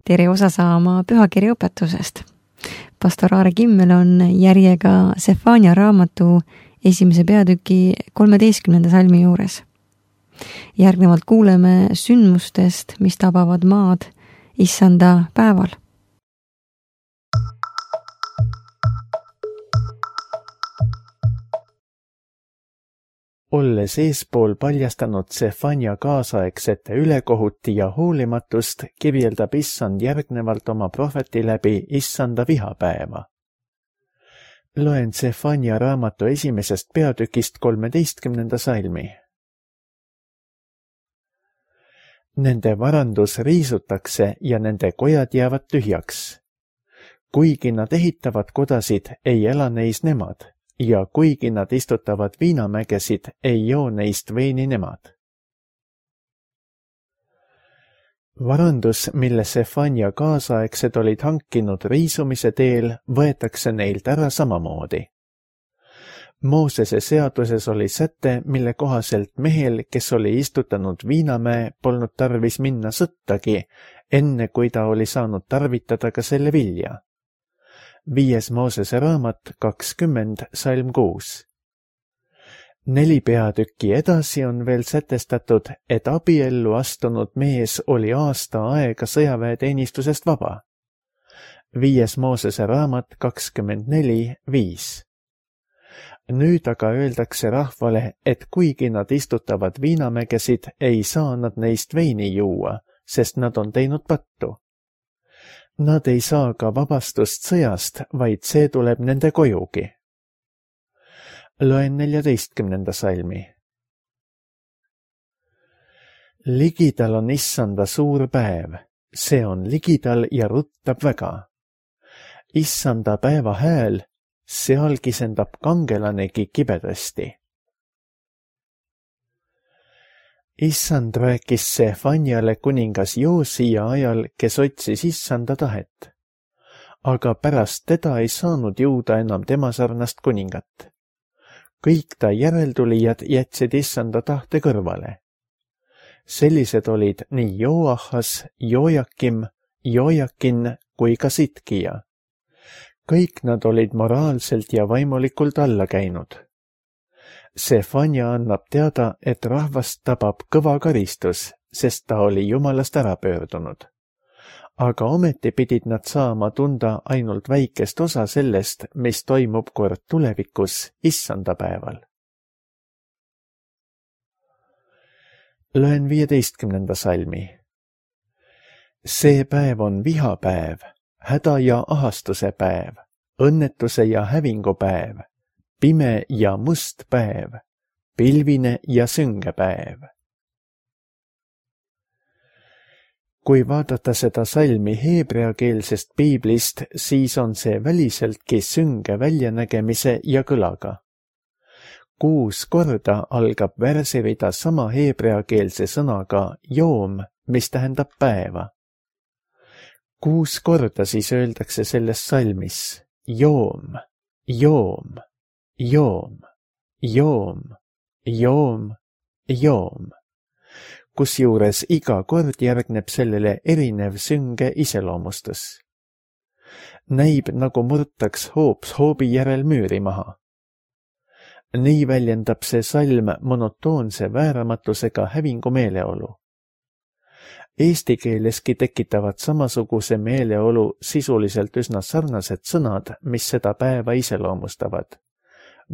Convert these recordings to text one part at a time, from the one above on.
tere osa saama pühakirja õpetusest. Pastor Aare Kimmel on järjega Sefania raamatu 1. peatüki 13. salmi juures. Järgnevalt kuuleme sündmustest, mis tabavad maad issanda päeval. Olles eespool paljastanud Sefania kaasaegsete ülekohuti ja hoolimatust, kirjeldab issand järgnevalt oma prohveti läbi issanda vihapäeva. Loen Sefania raamatu 1. peatükist 13. salmi. Nende varandus riisutakse ja nende kojad jäävad tühjaks. Kuigi nad ehitavad kodasid, ei ela neis nemad. Ja kuigi nad istutavad viinamägesid, ei joo neist veini nemad. Varandus, mille Sefania kaasaegsed olid hankinud riisumise teel, võetakse neilt ära samamoodi. Moosese seaduses oli säte, mille kohaselt mehel, kes oli istutanud viinamäe, polnud tarvis minna sõttagi, enne kui ta oli saanud tarvitada ka selle vilja. 5. Moosese raamat 20, salm 6. 4 peatükki edasi on veel sätestatud, et abiellu astunud mees oli aasta aega sõjaväeteenistusest vaba. 5. Moosese raamat 24, 5. Nüüd aga öeldakse rahvale, et kuigi nad istutavad viinamägesid, ei saa nad neist veini juua, sest nad on teinud pattu. Nad ei saa ka vabastust sõjast, vaid see tuleb nende kojugi. Loen 14. salmi. Ligidal on issanda suur päev, see on ligidal ja ruttab väga. Issanda päeva hääl, seal kisendab kangelanegi kibedasti. Issand rääkis Sefaniale kuningas Joosia ajal, kes otsis issanda tahet. Aga pärast teda ei saanud jõuda enam tema sarnast kuningat. Kõik ta järeltulijad jätsid issanda tahte kõrvale. Sellised olid nii Joahas, Joakim, Joakin kui ka Sitkija. Kõik nad olid moraalselt ja vaimulikult alla käinud. Sefania annab teada, et rahvast tabab kõva karistus, sest ta oli Jumalast ära pöördunud. Aga ometi pidid nad saama tunda ainult väikest osa sellest, mis toimub kord tulevikus issanda päeval. Loen 15. salmi. See päev on vihapäev, häda ja ahastuse päev, õnnetuse ja hävingu päev, pime ja must päev, pilvine ja sünge päev. Kui vaadata seda salmi heebreakeelsest piiblist, siis on see väliseltki sünge väljanägemise ja kõlaga. 6 korda algab värsirida sama heebreakeelse sõnaga joom, mis tähendab päeva. 6 korda siis öeldakse selles salmis joom, joom, joom, joom, joom, joom, kusjuures iga kord järgneb sellele erinev sünge iseloomustus. Näib, nagu murtaks hoops hoobi järel müüri maha. Nii väljendab see salm monotoonse vääramatusega hävingu meeleolu. Eesti keeleski tekitavad samasuguse meeleolu sisuliselt üsna sarnased sõnad, mis seda päeva iseloomustavad.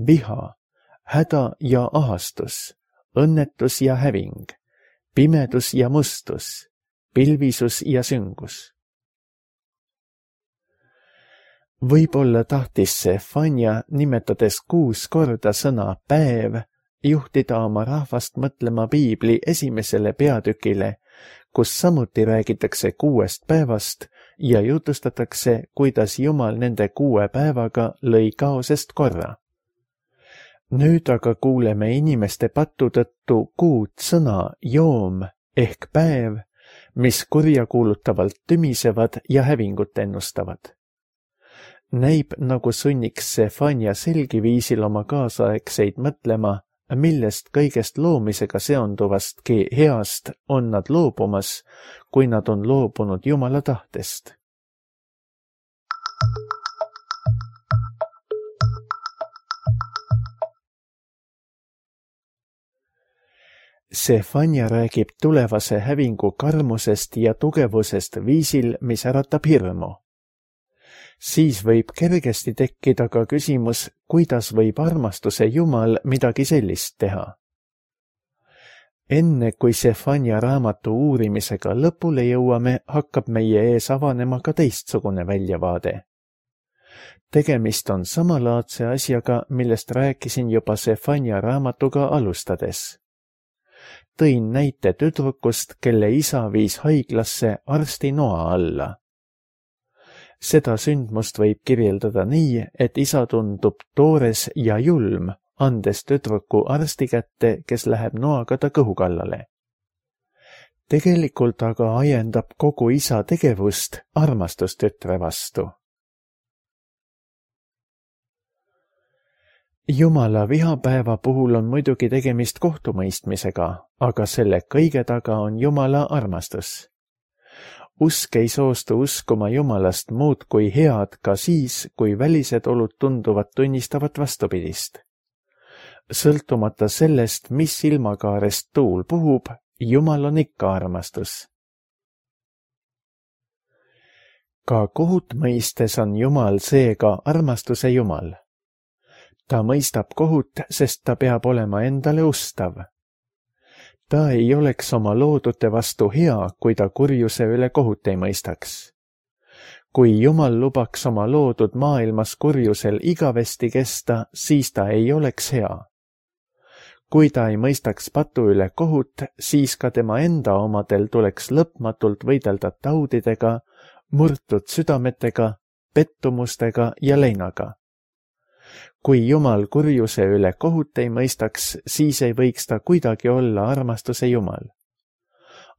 Viha, häda ja ahastus, õnnetus ja häving, pimedus ja mustus, pilvisus ja süngus. Võib-olla tahtis Sefania, nimetades 6 korda sõna päev, juhtida oma rahvast mõtlema piibli 1. peatükile, kus samuti räägitakse 6 päevast ja jutustatakse, kuidas Jumal nende 6 päevaga lõi kaosest korra. Nüüd aga kuuleme inimeste pattu tõttu 6 sõna joom ehk päev, mis kurjakuulutavalt tümisevad ja hävingut ennustavad. Näib, nagu sunniks Sefania selgiviisil oma kaasaegseid mõtlema, millest kõigest loomisega seonduvastki heast on nad loobumas, kui nad on loobunud Jumala tahtest. Sefania räägib tulevase hävingu karmusest ja tugevusest viisil, mis äratab hirmu. Siis võib kergesti tekkida ka küsimus, kuidas võib armastuse Jumal midagi sellist teha. Enne kui Sefania raamatu uurimisega lõpule jõuame, hakkab meie ees avanema ka teistsugune väljavaade. Tegemist on samalaadse asjaga, millest rääkisin juba Sefania raamatuga alustades. Tõin näite tüdrukust, kelle isa viis haiglasse arsti noa alla. Seda sündmust võib kirjeldada nii, et isa tundub toores ja julm, andes tüdruku arsti kätte, kes läheb noaga ta kõhu kallale. Tegelikult aga ajendab kogu isa tegevust armastus tütre vastu. Jumala vihapäeva puhul on muidugi tegemist kohtumõistmisega, aga selle kõige taga on Jumala armastus. Usk ei soostu uskuma Jumalast muud kui head ka siis, kui välised olud tunduvad tunnistavat vastupidist. Sõltumata sellest, mis ilmakaarest tuul puhub, Jumal on ikka armastus. Ka kohut mõistes on Jumal seega armastuse Jumal. Ta mõistab kohut, sest ta peab olema endale ustav. Ta ei oleks oma loodute vastu hea, kui ta kurjuse üle kohut ei mõistaks. Kui Jumal lubaks oma loodud maailmas kurjusel igavesti kesta, siis ta ei oleks hea. Kui ta ei mõistaks patu üle kohut, siis ka tema enda omadel tuleks lõpmatult võidelda taudidega, murtud südametega, pettumustega ja leinaga. Kui Jumal kurjuse üle kohut ei mõistaks, siis ei võiks ta kuidagi olla armastuse Jumal.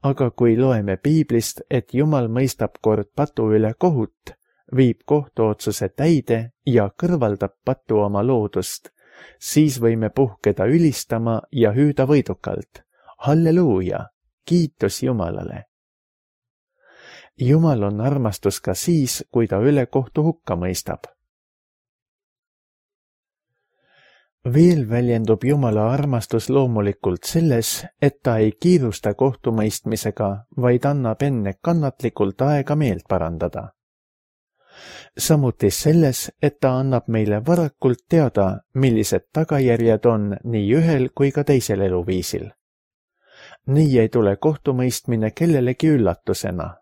Aga kui loeme Piiblist, et Jumal mõistab kord patu üle kohut, viib kohtuotsuse täide ja kõrvaldab patu oma loodust, siis võime puhkeda ülistama ja hüüda võidukalt. Halleluuja, kiitus Jumalale! Jumal on armastus ka siis, kui ta üle kohtu hukka mõistab. Veel väljendub Jumala armastus loomulikult selles, et ta ei kiirusta kohtumõistmisega, vaid annab enne kannatlikult aega meelt parandada. Samuti selles, et ta annab meile varakult teada, millised tagajärjed on nii ühel kui ka teisel eluviisil. Nii ei tule kohtumõistmine kellelegi üllatusena.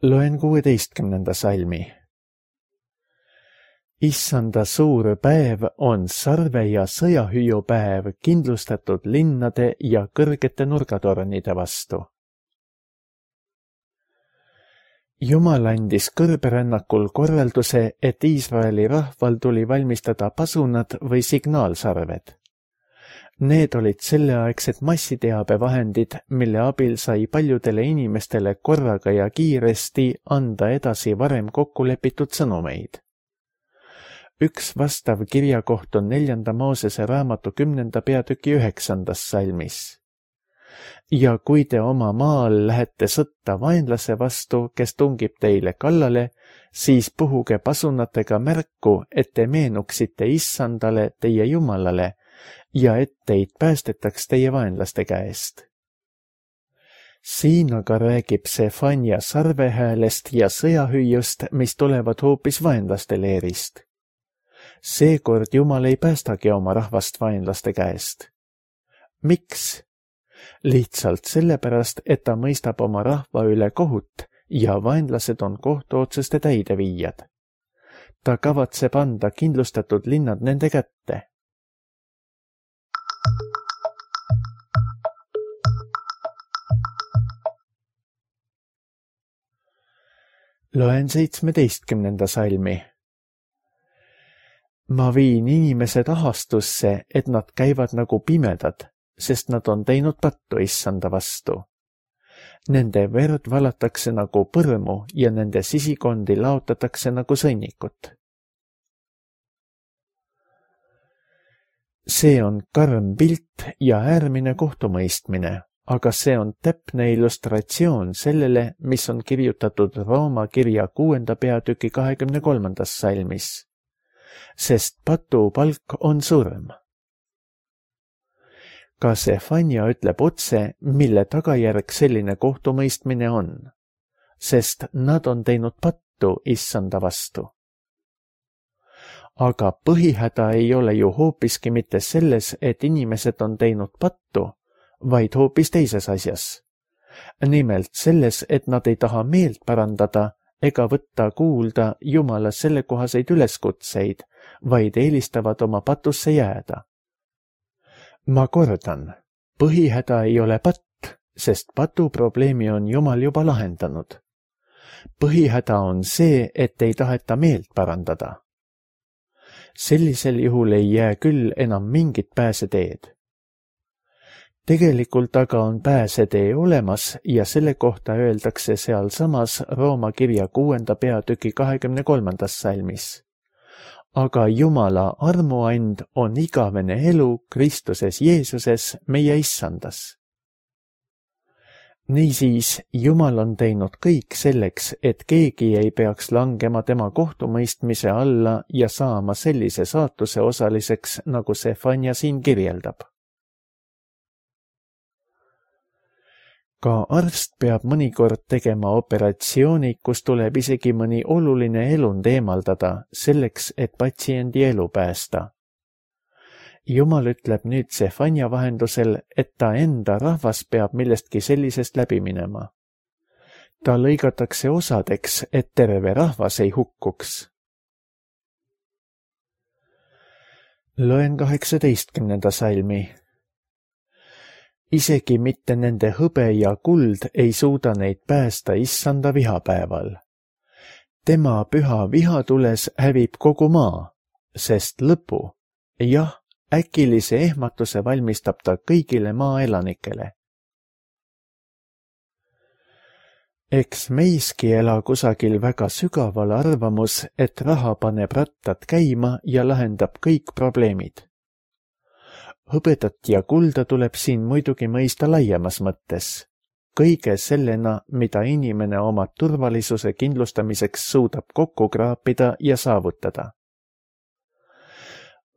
Loen 16. salmi. Issanda suur päev on sarve- ja sõjahüüupäev kindlustatud linnade ja kõrgete nurgatornide vastu. Jumal andis kõrberännakul korralduse, et Iisraeli rahval tuli valmistada pasunad või signaalsarved. Need olid selleaegsed massiteabevahendid, mille abil sai paljudele inimestele korraga ja kiiresti anda edasi varem kokkulepitud sõnumeid. Üks vastav kirjakoht on 4. Moosese raamatu 10. peatüki 9. salmis. Ja kui te oma maal lähete sõtta vaenlase vastu, kes tungib teile kallale, siis puhuge pasunatega märku, et te meenuksite Issandale, teie Jumalale, ja et teid päästetaks teie vaenlaste käest. Siin aga räägib Sefania sarvehäälest ja sõjahüüust, mis tulevad hoopis vaenlaste leerist. Seekord Jumal ei päästagi oma rahvast vaenlaste käest. Miks? Lihtsalt sellepärast, et ta mõistab oma rahva üle kohut ja vaenlased on kohtuotsuste täideviijad. Ta kavatseb anda kindlustatud linnad nende kätte. Loen 17. salmi. Ma viin inimesed ahastusse, et nad käivad nagu pimedad, sest nad on teinud pattu Issanda vastu. Nende verd valatakse nagu põrmu ja nende sisikondi laotatakse nagu sõnnikut. See on karm pilt ja äärmine kohtumõistmine, aga see on täpne illustratsioon sellele, mis on kirjutatud Rooma kirja 6. peatüki 23. salmis. Sest patu palk on surm. Ka Sefania ütleb otse, mille tagajärg selline kohtumõistmine on, sest nad on teinud pattu issanda vastu. Aga põhihäda ei ole ju hoopiski mitte selles, et inimesed on teinud pattu, vaid hoopis teises asjas. Nimelt selles, et nad ei taha meelt parandada ega võtta kuulda Jumala sellekohaseid üleskutseid, vaid eelistavad oma patusse jääda. Ma kordan, põhihäda ei ole patt, sest patu probleemi on Jumal juba lahendanud. Põhihäda on see, et ei taheta meelt parandada. Sellisel juhul ei jää küll enam mingit pääseteed. Tegelikult aga on pääsetee olemas ja selle kohta öeldakse sealsamas Rooma kirja 6. peatüki 23. salmis. Aga Jumala armuand on igavene elu Kristuses Jeesuses meie issandas. Niisiis, Jumal on teinud kõik selleks, et keegi ei peaks langema tema kohtumõistmise alla ja saama sellise saatuse osaliseks, nagu Sefania siin kirjeldab. Ka arst peab mõnikord tegema operatsiooni, kus tuleb isegi mõni oluline elund eemaldada, selleks, et patsiendi elu päästa. Jumal ütleb nüüd Sefania vahendusel, et ta enda rahvas peab millestki sellisest läbi minema. Ta lõigatakse osadeks, et terve rahvas ei hukkuks. Loen 18. salmi. Isegi mitte nende hõbe ja kuld ei suuda neid päästa issanda vihapäeval. Tema püha vihatules hävib kogu maa, sest lõpu, jah, äkilise ehmatuse valmistab ta kõigile maaelanikele. Eks meiski ela kusagil väga sügaval arvamus, et raha paneb rattad käima ja lahendab kõik probleemid. Hõbedat ja kulda tuleb siin muidugi mõista laiemas mõttes. Kõige sellena, mida inimene oma turvalisuse kindlustamiseks suudab kokku kraapida ja saavutada.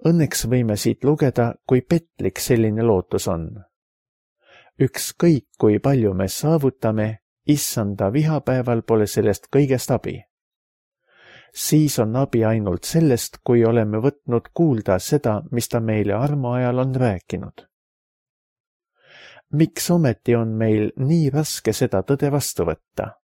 Õnneks võime siit lugeda, kui petlik selline lootus on. Ükskõik, kui palju me saavutame, issanda vihapäeval pole sellest kõigest abi. Siis on abi ainult sellest, kui oleme võtnud kuulda seda, mis ta meile armuajal on rääkinud. Miks ometi on meil nii raske seda tõde vastu võtta?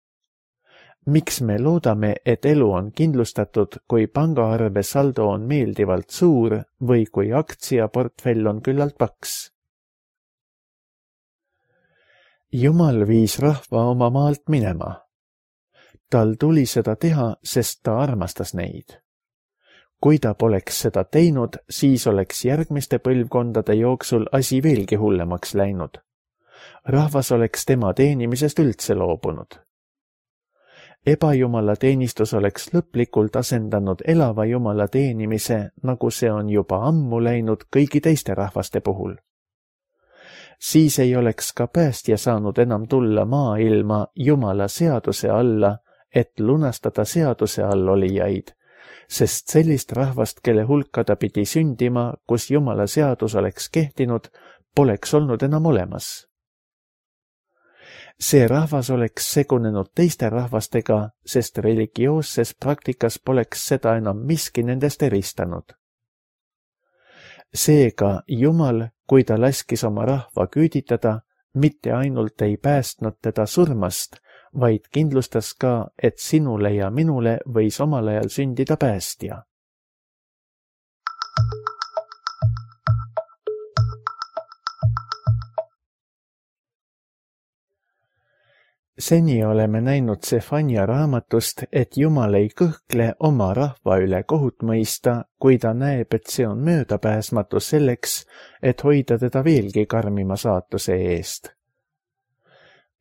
Miks me loodame, et elu on kindlustatud, kui pangaarve saldo on meeldivalt suur või kui aktsiaportfell on küllalt paks? Jumal viis rahva oma maalt minema. Tal tuli seda teha, sest ta armastas neid. Kui ta poleks seda teinud, siis oleks järgmiste põlvkondade jooksul asi veelgi hullemaks läinud. Rahvas oleks tema teenimisest üldse loobunud. Ebajumala teenistus oleks lõplikult asendanud elava Jumala teenimise, nagu see on juba ammu läinud kõigi teiste rahvaste puhul. Siis ei oleks ka päästja saanud enam tulla maailma Jumala seaduse alla, et lunastada seaduse all olijaid, sest sellist rahvast, kelle hulka ta pidi sündima, kus Jumala seadus oleks kehtinud, poleks olnud enam olemas. See rahvas oleks segunenud teiste rahvastega, sest religioosses praktikas poleks seda enam miski nendest eristanud. Seega Jumal, kui ta laskis oma rahva küüditada, mitte ainult ei päästnud teda surmast, vaid kindlustas ka, et sinule ja minule võis omal ajal sündida päästja. Seni oleme näinud Sefania raamatust, et Jumal ei kõhkle oma rahva üle kohut mõista, kui ta näeb, et see on möödapääsmatu selleks, et hoida teda veelgi karmima saatuse eest.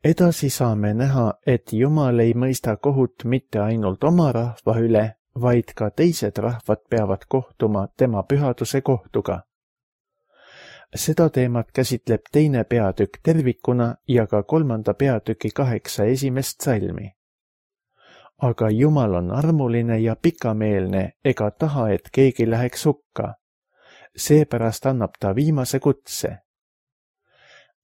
Edasi saame näha, et Jumal ei mõista kohut mitte ainult oma rahva üle, vaid ka teised rahvad peavad kohtuma tema pühaduse kohtuga. Seda teemat käsitleb 2. peatükk tervikuna ja ka 3. peatüki 8 esimest salmi. Aga Jumal on armuline ja pikameelne ega taha, et keegi läheks hukka. Seepärast annab ta viimase kutse.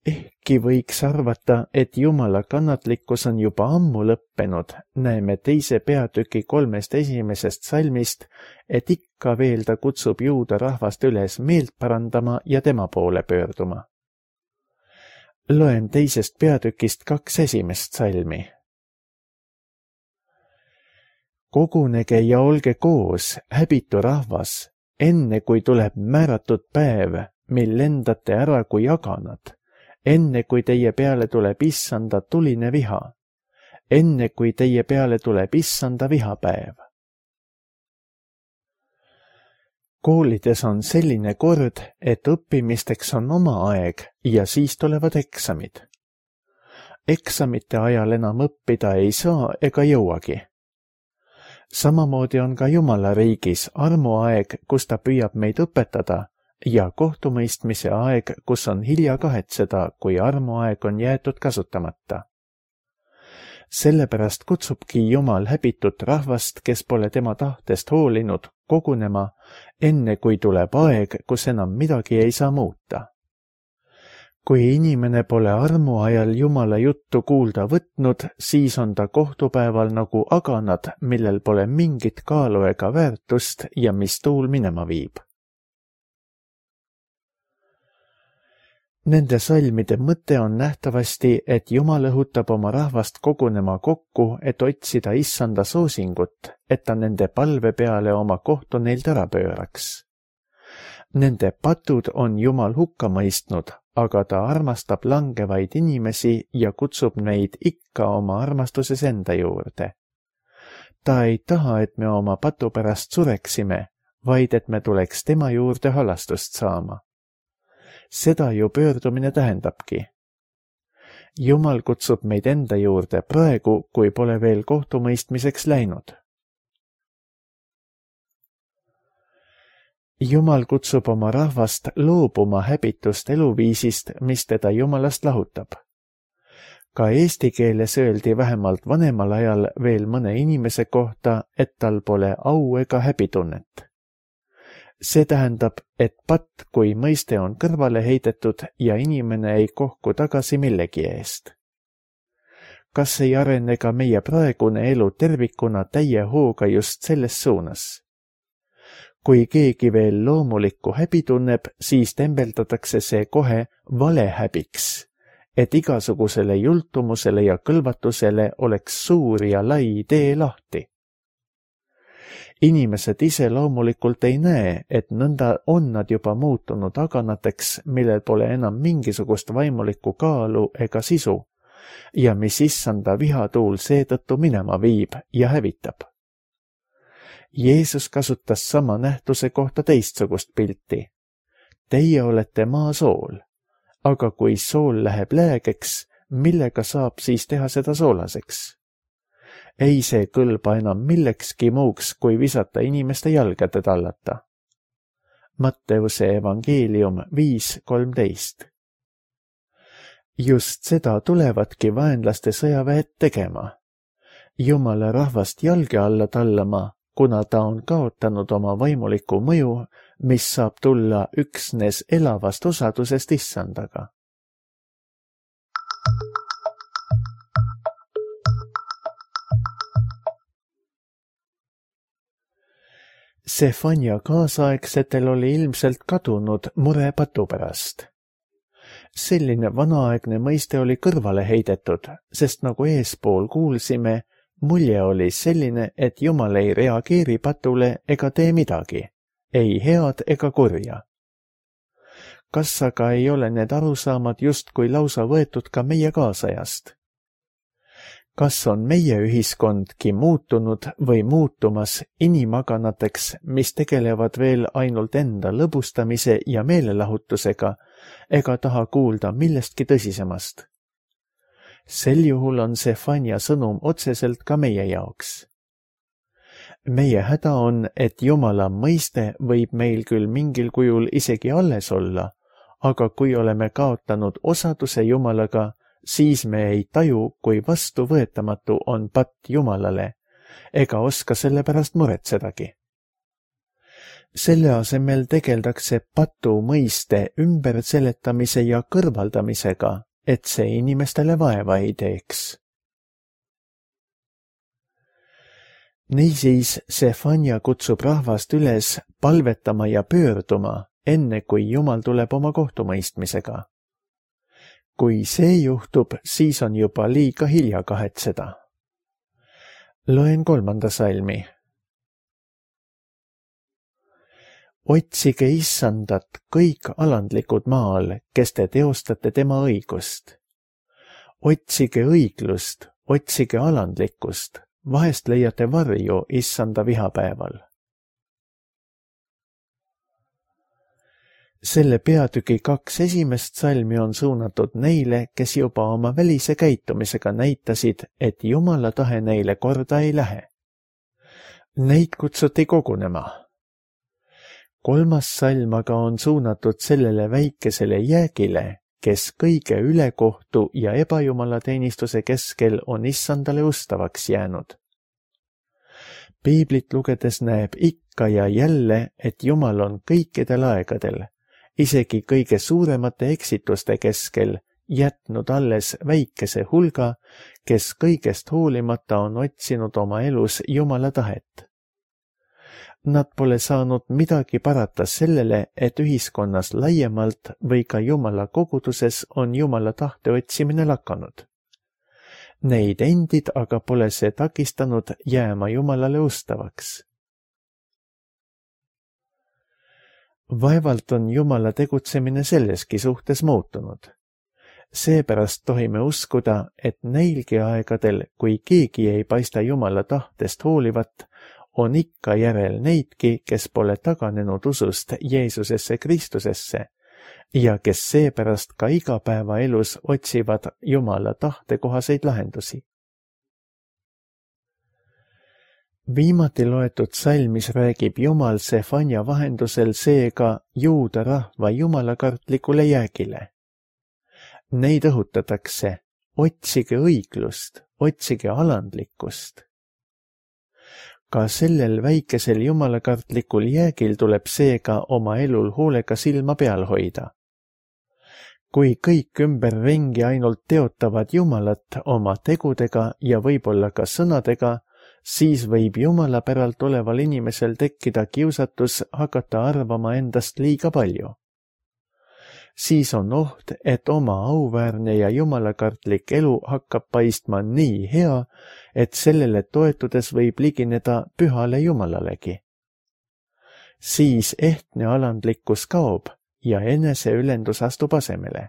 Ehkki võiks arvata, et Jumala kannatlikkus on juba ammu lõppenud, näeme 2. peatüki 3 esimesest salmist, et ikka veel ta kutsub juuda rahvast üles meelt parandama ja tema poole pöörduma. Loen 2. peatükist 2 esimest salmi. Kogunege ja olge koos, häbitu rahvas, enne kui tuleb määratud päev, mil lendate ära kui aganad, enne kui teie peale tuleb issanda tuline viha, enne kui teie peale tuleb issanda vihapäev. Koolides on selline kord, et õppimisteks on oma aeg ja siis tulevad eksamid. Eksamite ajal enam õppida ei saa ega jõuagi. Samamoodi on ka Jumala riigis armuaeg, kus ta püüab meid õpetada, ja kohtumõistmise aeg, kus on hilja kahetseda, kui armuaeg on jäetud kasutamata. Sellepärast kutsubki Jumal häbitut rahvast, kes pole tema tahtest hoolinud, kogunema, enne kui tuleb aeg, kus enam midagi ei saa muuta. Kui inimene pole armuajal Jumala juttu kuulda võtnud, siis on ta kohtupäeval nagu aganad, millel pole mingit kaalu ega väärtust ja mis tuul minema viib. Nende salmide mõte on nähtavasti, et Jumal õhutab oma rahvast kogunema kokku, et otsida issanda soosingut, et ta nende palve peale oma kohtu neilt ära pööraks. Nende patud on Jumal hukka mõistnud, aga ta armastab langevaid inimesi ja kutsub neid ikka oma armastuses enda juurde. Ta ei taha, et me oma patu pärast sureksime, vaid et me tuleks tema juurde halastust saama. Seda ju pöördumine tähendabki. Jumal kutsub meid enda juurde praegu, kui pole veel kohtumõistmiseks läinud. Jumal kutsub oma rahvast loobuma häbitust eluviisist, mis teda Jumalast lahutab. Ka eesti keeles öeldi vähemalt vanemal ajal veel mõne inimese kohta, et tal pole au ega häbitunnet. See tähendab, et patt kui mõiste on kõrvale heidetud ja inimene ei kohku tagasi millegi eest. Kas ei arene ka meie praegune elu tervikuna täie hooga just selles suunas? Kui keegi veel loomulikku häbi tunneb, siis tembeldatakse see kohe valehäbiks, et igasugusele jultumusele ja kõlvatusele oleks suur ja lai tee lahti. Inimesed ise loomulikult ei näe, et nõnda on nad juba muutunud aganateks, millel pole enam mingisugust vaimulikku kaalu ega sisu ja mis issanda vihatuul seetõttu minema viib ja hävitab. Jeesus kasutas sama nähtuse kohta teistsugust pilti. Teie olete maasool, aga kui sool läheb läägeks, millega saab siis teha seda soolaseks? Ei see kõlba enam millekski muuks, kui visata inimeste jalgade tallata. Matteuse evangeelium 5:13. Just seda tulevadki vaenlaste sõjaväed tegema. Jumala rahvast jalge alla tallama, kuna ta on kaotanud oma vaimuliku mõju, mis saab tulla üksnes elavast osadusest issandaga. Sefania kaasaegsetel oli ilmselt kadunud mure patu pärast. Selline vanaaegne mõiste oli kõrvale heidetud, sest nagu eespool kuulsime, mulje oli selline, et Jumal ei reageeri patule ega tee midagi, ei head ega kurja. Kas aga ei ole need arusaamad justkui lausa võetud ka meie kaasajast? Kas on meie ühiskondki muutunud või muutumas inimaganateks, mis tegelevad veel ainult enda lõbustamise ja meelelahutusega ega taha kuulda millestki tõsisemast? Sel juhul on Sefania sõnum otseselt ka meie jaoks. Meie häda on, et Jumala mõiste võib meil küll mingil kujul isegi alles olla, aga kui oleme kaotanud osaduse Jumalaga, siis me ei taju, kui vastuvõetamatu on patt Jumalale, ega oska selle pärast muretsedagi. Selle asemel tegeldakse patu mõiste ümberseletamise ja kõrvaldamisega, et see inimestele vaeva ei teeks. Niisiis Sefania kutsub rahvast üles palvetama ja pöörduma, enne kui Jumal tuleb oma kohtumõistmisega. Kui see juhtub, siis on juba liiga hilja kahetseda. Loen 3. salmi. Otsige Issandat kõik alandlikud maal, kes te teostate tema õigust. Otsige õiglust, otsige alandlikkust, vahest leiate varju Issanda vihapäeval. Selle peatüki 2 esimest salmi on suunatud neile, kes juba oma välise käitumisega näitasid, et Jumala tahe neile korda ei lähe. Neid kutsuti kogunema. 3. salm aga on suunatud sellele väikesele jäägile, kes kõige ülekohtu ja ebajumalateenistuse keskel on Issandale ustavaks jäänud. Piiblit lugedes näeb ikka ja jälle, et Jumal on kõikidel aegadel, isegi kõige suuremate eksituste keskel, jätnud alles väikese hulga, kes kõigest hoolimata on otsinud oma elus Jumala tahet. Nad pole saanud midagi parata sellele, et ühiskonnas laiemalt või ka Jumala koguduses on Jumala tahte otsimine lakanud. Neid endid aga pole see takistanud jääma Jumalale ustavaks. Vaevalt on Jumala tegutsemine selleski suhtes muutunud. Seepärast tohime uskuda, et neilgi aegadel, kui keegi ei paista Jumala tahtest hoolivat, on ikka järel neidki, kes pole taganenud usust Jeesusesse Kristusesse ja kes seepärast ka igapäevaelus otsivad Jumala tahtekohaseid lahendusi. Viimati loetud salmis räägib Jumal Sefania vahendusel seega juuda rahva jumalakartlikule jäägile. Neid õhutatakse, otsige õiglust, otsige alandlikkust. Ka sellel väikesel jumalakartlikul jäägil tuleb seega oma elul hoolega silma peal hoida. Kui kõik ümberringi ainult teotavad Jumalat oma tegudega ja võib-olla ka sõnadega, siis võib Jumala päralt oleval inimesel tekkida kiusatus hakata arvama endast liiga palju. Siis on oht, et oma auväärne ja jumalakartlik elu hakkab paistma nii hea, et sellele toetudes võib ligineda pühale Jumalalegi. Siis ehtne alandlikkus kaob ja eneseülendus astub asemele.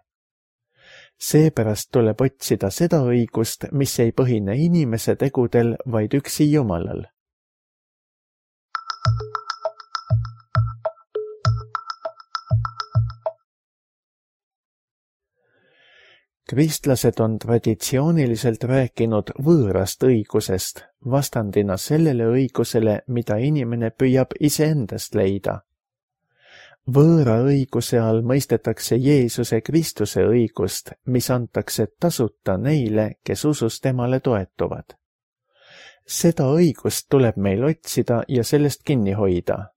Seepärast tuleb otsida seda õigust, mis ei põhine inimese tegudel, vaid üksi Jumalal. Kristlased on traditsiooniliselt rääkinud võõrast õigusest, vastandina sellele õigusele, mida inimene püüab iseendast leida. Võõra õiguse all mõistetakse Jeesuse Kristuse õigust, mis antakse tasuta neile, kes usus temale toetuvad. Seda õigust tuleb meil otsida ja sellest kinni hoida.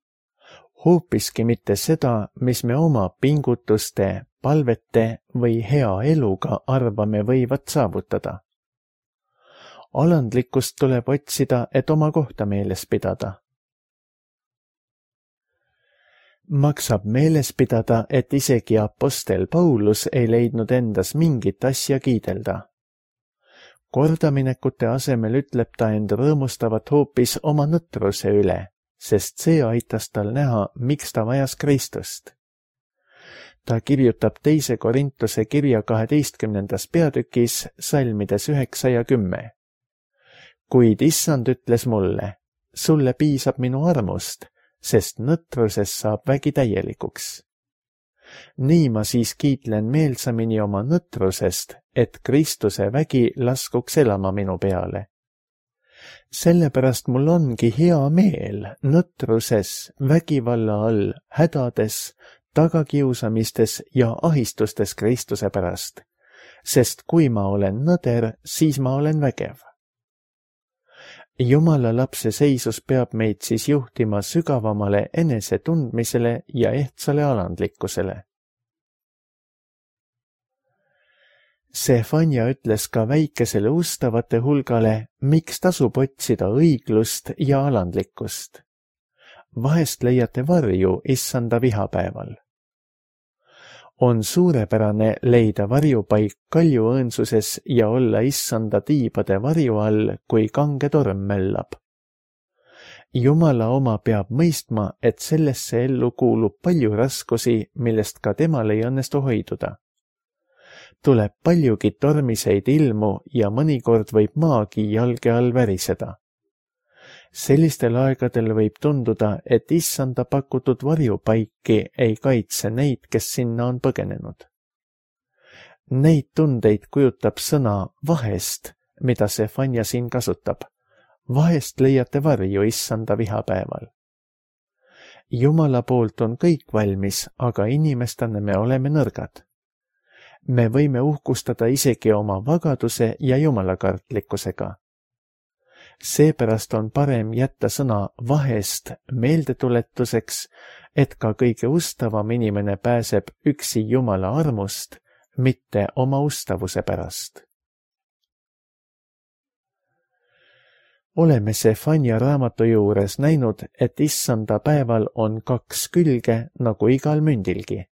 Hoopiski mitte seda, mis me oma pingutuste, palvete või hea eluga arvame võivat saavutada. Alandlikkust tuleb otsida, et oma kohta meeles pidada. Maksab meeles pidada, et isegi apostel Paulus ei leidnud endas mingit asja kiidelda. Kordaminekute asemel ütleb ta end rõõmustavat hoopis oma nõtruse üle, sest see aitas tal näha, miks ta vajas Kristust. Ta kirjutab 2. Korintuse kirja 12. peatükis salmides 9 ja 10. Kuid Issand ütles mulle, sulle piisab minu armust, sest nõtruses saab vägi täielikuks. Nii ma siis kiitlen meelsamini oma nõtrusest, et Kristuse vägi laskuks elama minu peale. Sellepärast mul ongi hea meel nõtruses, vägivalla all, hädades, tagakiusamistes ja ahistustes Kristuse pärast, sest kui ma olen nõder, siis ma olen vägev. Jumala lapse seisus peab meid siis juhtima sügavamale enesetundmisele ja ehtsale alandlikkusele. Sefania ütles ka väikesele ustavate hulgale, miks tasub otsida õiglust ja alandlikkust. Vahest leiate varju issanda vihapäeval. On suurepärane leida varjupaik kaljuõõnsuses ja olla issanda tiibade varju all, kui kange torm möllab. Jumala oma peab mõistma, et sellesse ellu kuulub palju raskusi, millest ka temal ei õnnestu hoiduda. Tuleb paljugi tormiseid ilmu ja mõnikord võib maagi jalge all väriseda. Sellistel aegadel võib tunduda, et issanda pakutud varjupaiki ei kaitse neid, kes sinna on põgenenud. Neid tundeid kujutab sõna vahest, mida Sefania siin kasutab. Vahest leiate varju issanda vihapäeval. Jumala poolt on kõik valmis, aga inimestena me oleme nõrgad. Me võime uhkustada isegi oma vagaduse ja jumalakartlikkusega. Seepärast on parem jätta sõna vahest meeldetuletuseks, et ka kõige ustavam inimene pääseb üksi Jumala armust, mitte oma ustavuse pärast. Oleme Sefania raamatu juures näinud, et issanda päeval on kaks külge nagu igal mündilgi.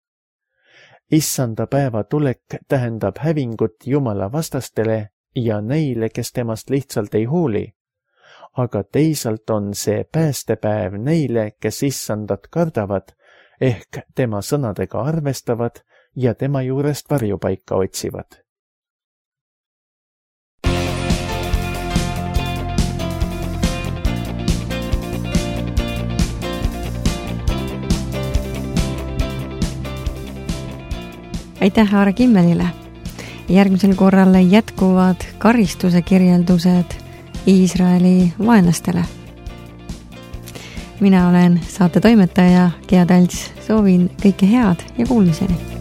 Issanda päeva tulek tähendab hävingut Jumala vastastele ja neile, kes temast lihtsalt ei hooli, aga teisalt on see päästepäev neile, kes issandat kardavad, ehk tema sõnadega arvestavad ja tema juurest varjupaika otsivad. Aitäh Aare Kimmelile! Järgmisel korral jätkuvad karistuse kirjeldused Iisraeli vaenlastele. Mina olen saate toimetaja Gea Talts, soovin kõike head ja kuulmiseni!